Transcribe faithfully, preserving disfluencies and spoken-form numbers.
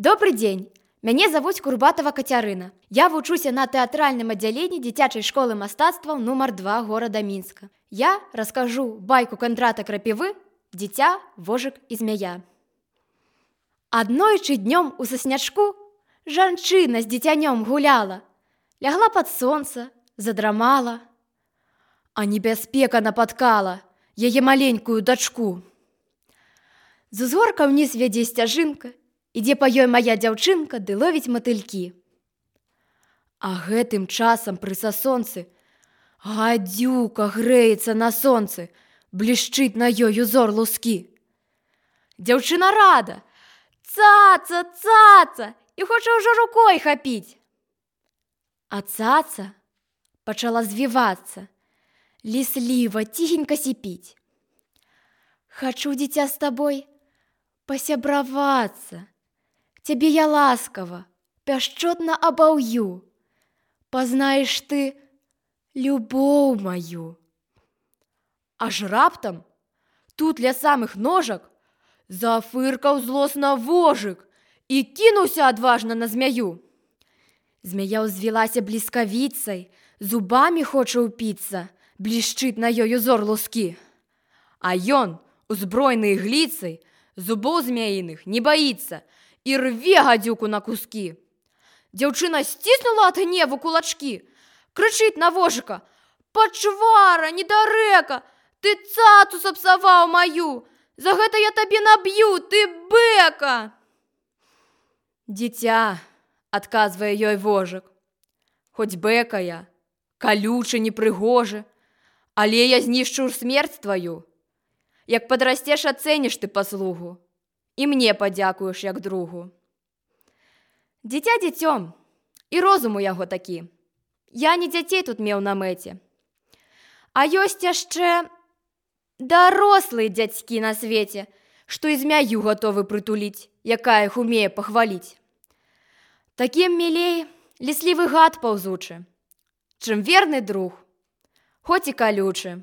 Добрый дзень! Мяне завуць Курбатова Кацярына. Я вучуся на тэатральным аддзяленні дзіцячай школы мастацтваў нумар два горада Мінска. Я раскажу байку Кандрата Крапівы «Дзіця, вожык і змяя». Аднойчы днём у саснячку жанчына з дзіцянём гуляла, лягла пад сонца, задрамала, а небяспека напаткала яе маленькую дачку. З узгорка ўніз вядзе сцяжынка, ідзе па ёй мая дзяўчынка ды ловіць матылькі. А гэтым часам пры сасонцы гадзюка грэецца на сонцы, блішчыць на ёй узор лускі. Дзяўчына рада, цаца, цаца, і хоча ўжо рукой хапіць. А цаца пачала звівацца, лісліва, ціхенька сіпіць. Хачу, дзіця, з табой пасябравацца. Цябе я ласкава, пяшчотна абаўю. Пазнаеш ты любоў маю. Аж раптам тут ля самых ножак зафыркаў злосна вожык і кінуўся адважна на змяю. Змяя ўзвілася бліскавіцай, зубамі хоча ўпіцца, блішчыць на ёй узор лускі. А ён, узброены ігліцай, зубоў змяіных не баіцца і рве гадзюку на кускі. Дзяўчына сціснула ад гневу кулачкі, крычыць на вожыка: «Пачвара, недарэка, ты цацу сапсаваў маю, за гэта я табе наб'ю, ты бэка!» «Дзіця», — адказвае ёй вожык, «хоць бэка я, калючы, непрыгожы, але я знішчу смерць тваю. Як падрасцеш, ацэніш ты паслугу, і мне падзякуеш як другу». Дзіця дзіцём, і розум у яго такі. Я не дзяцей тут меў на мэце. А ёсць яшчэ дарослыя дзядзькі на свеце, што і змяю гатовы прытуліць, якая іх умее пахваліць. Такім мілей ліслівы гад паўзучы, чым верны друг, хоць і калючы.